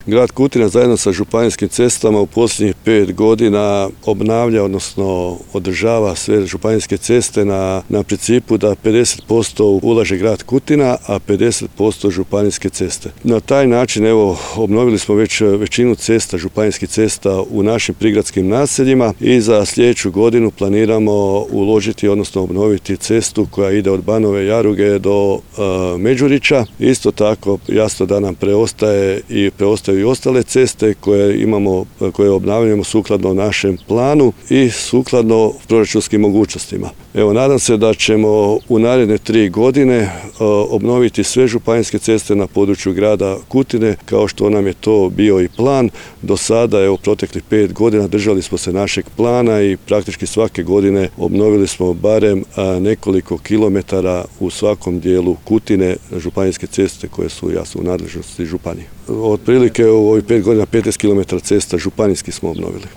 Grad Kutina zajedno sa županijskim cestama u posljednjih 5 godina obnavlja, odnosno održava sve županijske ceste na principu da 50% ulaže grad Kutina, a 50% županijske ceste. Na taj način obnovili smo već većinu cesta, županijskih cesta u našim prigradskim naseljima i za sljedeću godinu planiramo uložiti, odnosno obnoviti cestu koja ide od Banove Jaruge do Međurića. Isto tako jasno da nam preostaju i ostale ceste koje obnavljamo sukladno našem planu i sukladno proračunskim mogućnostima. Nadam se da ćemo u naredne 3 godine obnoviti sve županijske ceste na području grada Kutine, kao što nam je to bio i plan. Do sada, proteklih 5 godina držali smo se našeg plana i praktički svake godine obnovili smo barem nekoliko kilometara u svakom dijelu Kutine, županijske ceste koje su jasno u nadležnosti županije. Otprilike u ovih 5 godina 15 km cesta županijskih smo obnovili.